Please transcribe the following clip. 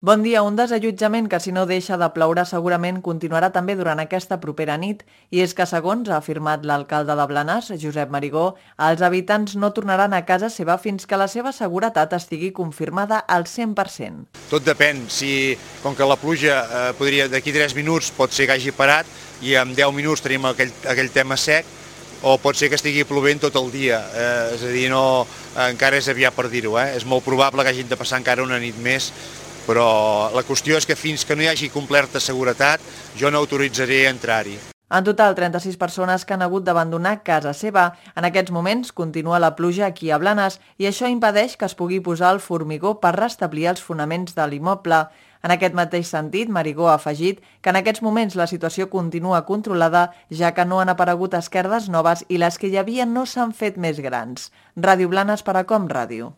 Bon dia. Un desallotjament que, si no deixa de ploure, segurament continuarà també durant aquesta propera nit. I és que, segons ha afirmat l'alcalde de Blanes, Josep Marigó, els habitants no tornaran a casa seva fins que la seva seguretat estigui confirmada al 100%. Tot depèn. Com que la pluja podria d'aquí 3 minuts pot ser que hagi parat i en 10 minuts tenim aquell tema sec, o pot ser que estigui plovent tot el dia. És a dir, encara és aviat per dir-ho. És molt probable que hagin de passar encara una nit més, però la qüestió és que fins que no hi hagi completa seguretat, jo no autoritzaré entrar-hi. En total, 36 persones que han hagut d'abandonar casa seva. En aquests moments continua la pluja aquí a Blanes i això impedeix que es pugui posar el formigó per restablir els fonaments de l'immoble. En aquest mateix sentit, Marigó ha afegit que en aquests moments la situació continua controlada, ja que no han aparegut esquerdes noves i les que hi havia no s'han fet més grans. Ràdio Blanes per a Com Ràdio.